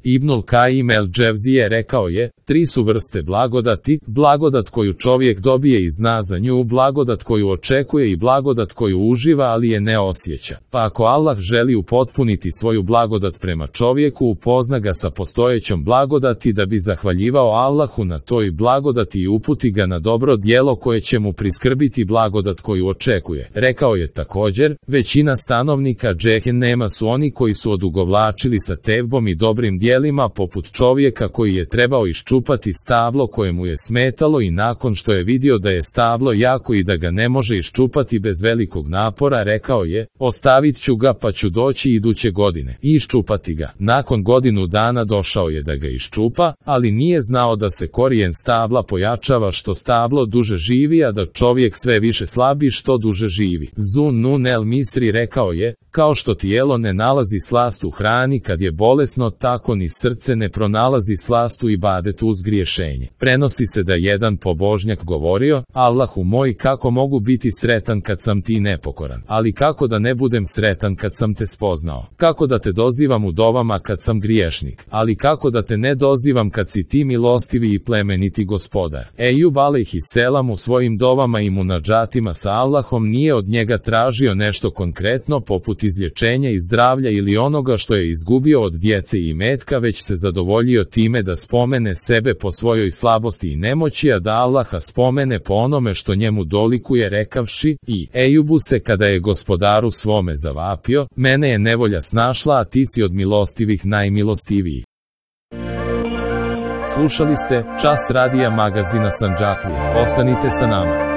Ibnul Kajim el-Dževzije rekao je, 3 su vrste blagodati, blagodat koju čovjek dobije i zna za nju, blagodat koju očekuje i blagodat koju uživa ali je ne osjeća. Pa ako Allah želi upotpuniti svoju blagodat prema čovjeku, upozna ga sa postojećom blagodati da bi zahvaljivao Allahu na toj blagodati i uputi ga na dobro djelo koje će mu priskrbiti blagodat koju očekuje. Rekao je također, većina stanovnika džehennema su oni koji su odugovlačili sa tevbom i dobrim djelima poput čovjeka koji je trebao iščupati stablo koje mu je smetalo i nakon što je vidio da je stablo jako i da ga ne može iščupati bez velikog napora, rekao je, ostavit ću ga pa ću doći iduće godine i iščupati ga. Nakon godinu dana došao je da ga iščupa, ali nije znao da se korijen stabla pojačava što stablo duže živi, a da čovjek sve više slabi što duže živi. Zun Nun el Misri rekao je, kao što tijelo ne nalazi slast u hrani kad je bolesno, tako ni srce ne pronalazi slast u ibadetu uz griješenje. Prenosi se da jedan pobožnjak govorio, Allahu moj, kako mogu biti sretan kad sam ti nepokoran, ali kako da ne budem sretan kad sam te spoznao, kako da te dozivam u dovama kad sam griješnik, ali kako da te ne dozivam kad si ti milostivi i plemeniti gospodar. Ejub alejhiselam u svojim dovama i munadžatima sa Allahom nije od njega tražio nešto konkretno poput izlječenja i zdravlja ili onoga što je izgubio od djece i imetka, već se zadovoljio time da spomene sebe po svojoj slabosti i nemoći, a da Allaha spomene po onome što njemu dolikuje, rekavši, i Ejubu se kada je gospodaru svome zavapio, mene je nevolja snašla, a ti si od milostivih najmilostiviji. Slušali ste Čas radija magazina Sandžaklija. Ostanite sa nama.